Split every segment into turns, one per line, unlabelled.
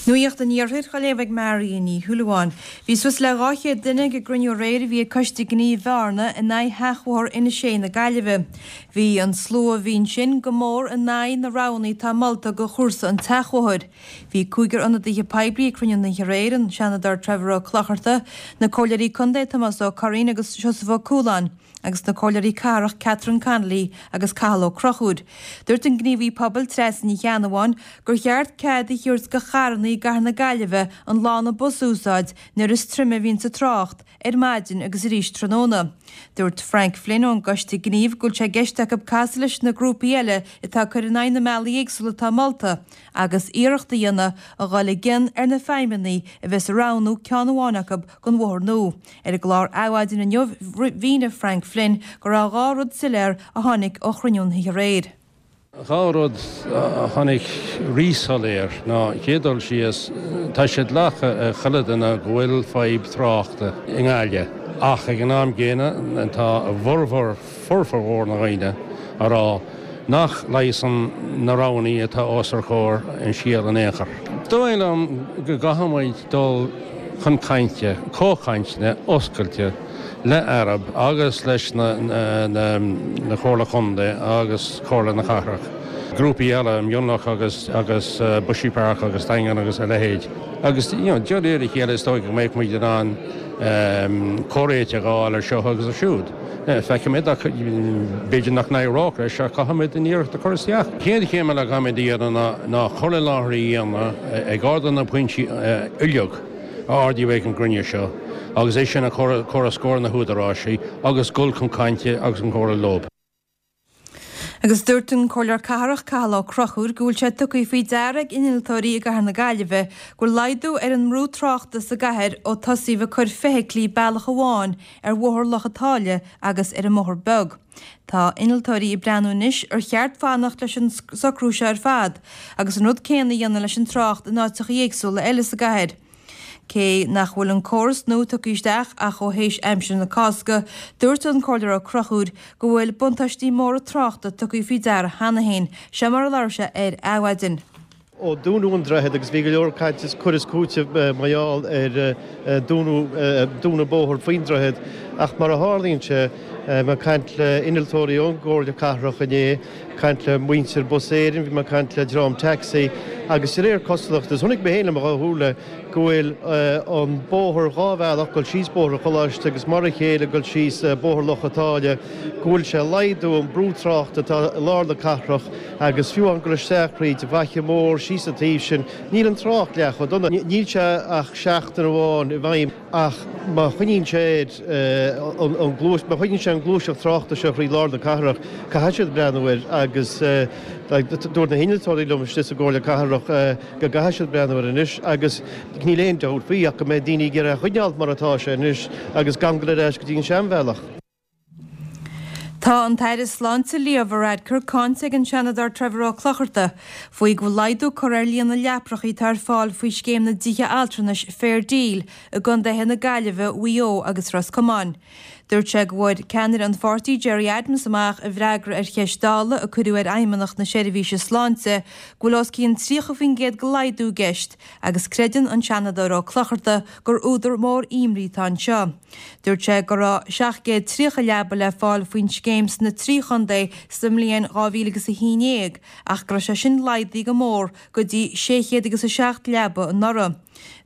Nuacht an Iarthair á léamh ag Marion Ní Shúilleabháin. Bhí suas le 200 duine ag an gcruinniú aréir a bhí ag Coiste Gnímh Bhearna in aghaidh sheachbhóthar Inis Sé na Gaillimhe. Bhí an slua a bhí ansin go mór in aghaidh na roghanna atá molta do chúrsa an tseachbhóthair. Bhí cúigear ionadaithe poiblí ag cruinniú na hoíche aréir, an Seanadóir Trevor Ó Clochartaigh, na Comhairleoirí Contae Tomás Ó Curraoin agus Seosamh Ó Cualáin, agus na Comhairleoirí Cathrach Catherine Connolly agus Cathal Ó Conchúir. Dúirt an gníomhaí pobail Treasa Ní Cheannabháin gur cheart cead a thabhairt do charranna i gcathair na Gaillimhe an lána bus a úsáid nuair is troime a bhíonns an trácht, ar maidin agus arís tráthnóna. Dúirt Frank Flynn ón gCoiste Gnímh go bhfuil sé i gceist acu casadh leis na grúpaí eile atá ag cur in aghaidh na mbealaí éagsúla atá molta agus iarracht a dhéanamh a dhul i gcion ar na feidhmeannaigh a bheas ag roghnú ceann amháin acu don bhóthar nua. Ar an gclár Adhmhaidin inniu mhínigh Frank Flynn go raibh 2 rud soiléir a tháinig ó chruinniú na hoíche aréir.
2 rud a tháinig rí-soiléir ná, chéad dul síos, tá sé glactha ag chuile duine go bhfuil fadhb tráchta i nGaillimh ach ag an am gcéanna tá a bhformhór, formhór na ndaoine a rá nach leigheasann na roghannaí atá os ár gcomhair an scéal in aon chor. Dóigh liom go gcaithfidh muid dul chun cainte, comhchainteanna oscailte le Arup agus leis na Comhairle Contae agus Comhairle na Cathrach, grúpaí eile, Mionlach agus agus Bushy Park agus Daingean agus a leithéid. Agus you know de réir a chéile is dóigh go mbeidh muid in ann comhréiteach a fháil ar seo agus ar siúd. Feicfimid ach b'fhéidir nach n-éireodh leis ach caithfimid an iarracht a chur isteach. Chéad chéim eile a chaithfimid a dhéanamh ná cur i láthair a dhéanamh ag ardú na pointí uilig a ardaíodh ag an gcruinniú seo agus é sin a chur os comhair na húdaráisí agus dul chun cainte agus chun comhrá leo.
Agus dúirt an Comhairleoir Cathrach Cathal Ó Conchúir go bhfuil sé tugtha faoi deara ag innealtóirí i gcathair na Gaillimhe go bhfuil laghdú ar an mbrú tráchta sa gcathair ó tosaíodh ag cur feithiclí bealach amháin ar Bhóthar Loch an tSáile agus ar an mBóthar Beag. Tá innealtóirí ag breathnú anois ar cheart fanacht leis an socrú seo ar fad agus an rud céanna a dhéanamh leis an trácht in áiteacha éagsúla eile sa gcathair. Cé nach bhfuil an córas nua tugtha isteach ach ó théis aimsir na Cásca, dúirt an Comhairleoir Ó Conchúir go bhfuil buntáistí móra tráchta tugtha faoi deara cheana féin. Seo mar a labhair sé ar Adhmhaidin.
Ó dúnadh an droichead, agus bhí go leor caint is cur is cúiteamh mar gheall ar dúnadh dúnadh bóthair faoin droichead, ach mar a tharlaíonn sé, bhí mé ag caint le innealtóirí ón gComhairle Cathrach inné, caint le muintir Bus Éireann, bhí mé ag caint le dream taxi agus de réir cosúlachta, is chonaic mé féin le mo dhá shúile go bhfuil an bóthar dhá bhealach, dul síos Bóthar an Choláiste agus mar a chéile dul síos Bóthar Loch a' tSáile, go bhfuil sé ag laghdú an brú tráchta atá i lár na cathrach agus fiú amháin dul isteach thríd an bhFaiche Mhór síos an taobh sin, níl an trácht leath chomh dona. Níl sé ach seachtain amháin i bhfeidhm. Ach má choinníonn sé an gluais, má choinníonn sé an gluaiseacht tráchta seo thrí lár na cathrach, caithfidh siad breathnú air agus dúirt na hinnealtóirí liom istigh sa gComhairle Cathrach go gcaithfidh siad breathnú air anois agus níl aon dabht faoi ach go mbeidh daoine ag iarraidh a choinneáil mar atá sé anois agus gan dul ar ais go dtí an seanbhealach.
Tá an tAire Sláinte Leo Varadkar cáinte ag an Seanadóir Trevor Ó Clochartaigh faoi go bhfuil laghdú curtha ar líon na leaprachaí atá ar fáil faoi scéim na dtithe altranais Fair Deal i gcontaetha na Gaillimhe, Mhaigh Eo agus Ros Comáin. Dúirt sé go bhfuair ceannaire an pháirtí Gerry Adams amach i bhfreagra ar cheist Dála a cuireadh ar Fheidhmeannacht na Seirbhíse Sláinte go bhfuil os cionn 30% de laghdú i gceist agus creideann an Seanadóir Ó Clochartaigh gur údar mór imní atá anseo. Dúirt sé go raibh 730 leaba le fáil faoin scéim sna trí chontae sa mbliain 2011 ach go raibh sé sin laghdaithe go mór go dtí 607 leaba anuraidh.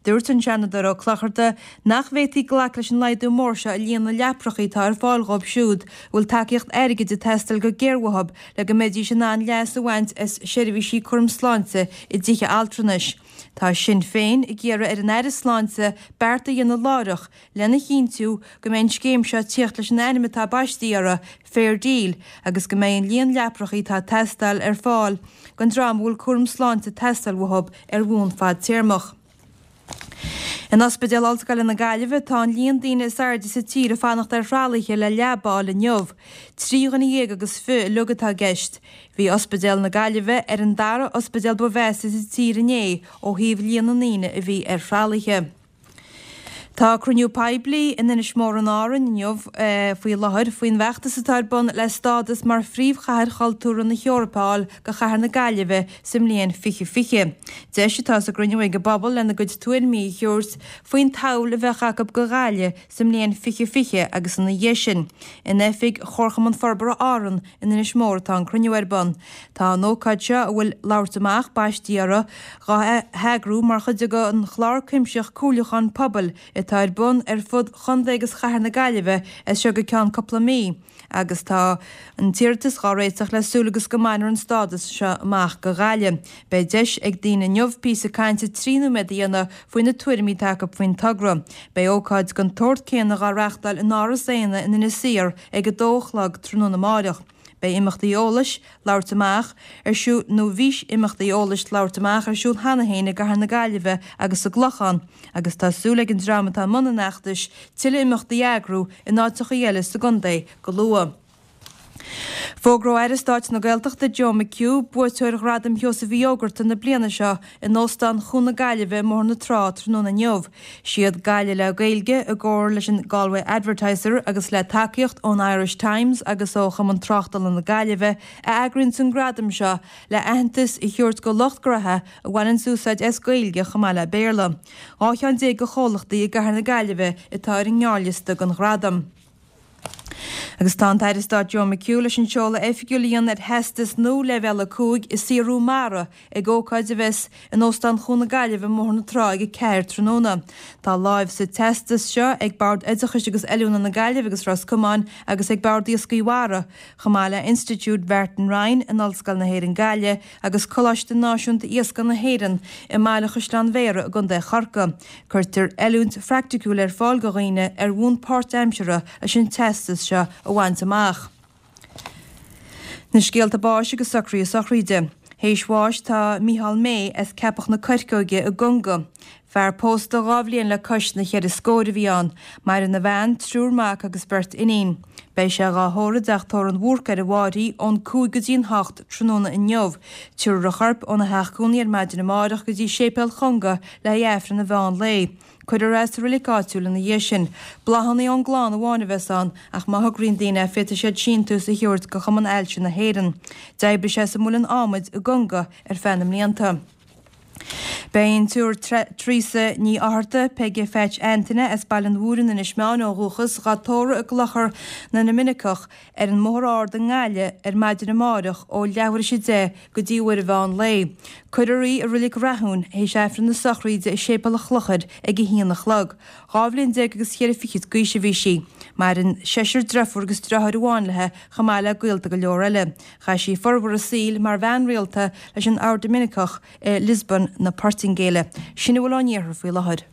Dúirt an Seanadóir Ó Clochartaigh nach bhféadfaí glacadh leis an laghdú mór seo i líon na leaprachaí atá ar fáil dhóibh siúd a bhfuil tacaíocht airgid ag teastáil go géar uathu le go mbeidís in ann leas a bhaint as seirbhísí cúraim sláinte i dtithe altranais. Tá Sinn Féin ag iarraidh ar an Aire Sláinte beart a dhéanamh láithreach lena chinntiú go mbeidh an scéim seo ag tíocht leis an ainm atá baistí uirthi, Fair Deal, agus go mbeidh an líon leaprachaí atá ag teastáil ar fáil don dream a bhfuil cúram sláinte ag teastáil uathu ar bhonn fadtéarmach. In Ospidéal Ollscoile na Gaillimhe tá an líon daoine is airde sa tír ag fanacht ar thralaithe le leaba a fháil inniu. 23 dhuine agus fiche uilig atá i gceist. Bhí Ospidéal na Gaillimhe ar an dara ospidéal ba mheasa sa tír inné ó thaobh líon na ndaoine a bhí ar thralaithe. Tá cruinniú poiblí in Inis Mór in Árainn inniu faoi láthair faoin bhfeachtas atá ar bun le stádas mar phríomhchathair chultúrtha na hEorpa a fháil do chathair na Gaillimhe sa mbliain 2020. Deis atá sa gcruinniú ag an bpobal lena gcuid tuairimí a thabhairt faoin tsamhail a bheadh acu do Ghaillimh sa mbliain 2020 agus ina dhiaidh sin. In oifig Chomharchumann Forbartha Árann in Inis Mór atá an cruinniú ar bun. Tá an ócáid seo, a bhfuil Labhairt Amach baistí uirthi, dhá heagrú mar chuid den chlár cuimsitheach comhairliúcháin pobail atá ar bun ar fud Chontae agus Chathair na Gaillimhe as seo go ceann cúpla mí agus tá an t-iarratas dhá réiteach le súil agus go mbainfear an stádas seo amach do Ghaillimh. Beidh deis ag daoine inniu píosa cainte 3 nóiméad a dhéanamh faoi na tuairimí atá acu faoin togra. Beidh ócáid den tsórt céanna dhá reachtáil in Áras Éanna in Inis Oírr ag 2 a chlog tráthnóna amáireach. Beidh imeachtaí eolais, labhairt amach, ar siúl, nó bhí imeachtaí eolais, labhairt amach, ar siúl cheana féin i gCathair na Gaillimhe agus sa gClochán agus tá súil ag an dream atá i mbun an fheachtais tuilleadh imeachtaí a eagrú in áiteachaí eile sa gcontae go luath. Fógróidh Aire Stáit na Gaeltachta Joe McHugh buaiteoir Ghradam Sheosaimh Uí Fhógarta na bliana seo in Óstán Chuan na Gaillimhe i mBóthar na Trá tráthnóna inniu. Siad Gaillimh le Gaeilge, i gcomhar leis an Galway Advertiser agus le tacaíocht ón Irish Times agus ó Chumann Tráchtála na Gaillimhe, a eagraíonns an gradam seo le aitheantas a thabhairt go lucht gnoithe a bhaineanns úsáid as Gaeilge chomh maith le Béarla. 12 cheann de chomhlachtaí i gCathair na Gaillimhe atá ar an ngearrliosta don ghradam. Agus tá an tAire Stáit Joe McHugh leis an seoladh oifigiúil a dhéanamh ar Theastas nua Leibhéal 5 i Saothrú Mara ag ócáid a bheas in Óstán Chuan na Gaillimhe i mBóthar na Trá ag 4 tráthnóna. Tá láimh sa teastas seo ag Bord Oideachais agus Oiliúna na Gaillimhe agus Ros Comáin agus ag Bord Iascaigh Mhara, chomh maith le Institiúid Mhartin Ryan in Ollscoil na hÉireann Gaillimh agus Coláiste Náisiúnta Iascaigh na hÉireann i mBaile Chaisleáin Bhéarra i gContae Chorcaí. Cuirtear oiliúint phraiticiúil ar fáil do dhaoine ar bhonn páirtaimseartha leis an teastas seo a bhaint amach. Na scéalta báis agus socruithe sochraide. Théis bháis tá Micheál May as Ceapach na Coirceoige i gConga. Fear pósta 2 bhliain le cois na cheithre scóir a bhí ann. Maireann a bhean, triúr mac agus beirt iníon. Beidh sé dhá thórramh i dTeach Tórraimh an Bhúrcaigh ar an bhFáirche ón 5 go dtí an 8 tráthnóna inniu. Tabharfar a chorp óna theach cónaí ar maidin amárach go dtí Séipéal Chonga le haghaidh Aifreann an mheán lae. Cuirfear é sa roilic áitiúil ina dhiaidh sin. Bláthanna ón gclann amháin a bheas ann ach má thograíonn daoine féadfaidh siad síntiús a thabhairt go Chumann Ailse na hÉireann. D'oibrigh sé sa Muileann Adhmaid i gConga ar feadh na mblianta. Beidh an tSiúr Teresa Ní Fhátharta, Peige Pheaits Antaine, as Baile an Mhúirne, Inis Meáin ó dhúchas, dhá tórramh i gClochar na nDoiminiceach ar an mBóthar Ard i nGaillimh ar maidin amáireach ó leathuair théis 10 go dtí uair an mheán lae. Cuirfear í i Reilig Rathúin théis Aifreann na sochraide i Séipéal an Chlochair ag 1 a chlog. 12 bhliain agus cheithre fichid d'aois a bhí sí. Maireann seisear driofúr agus driotháir amháin léi chomh maith le gaolta go leor eile. Chaith sí formhór a saoil mar bhean rialta leis an Ord Doiminiceach i Lisbon na Portaingéile. Sin a bhfuil ón iarthar faoi láthair.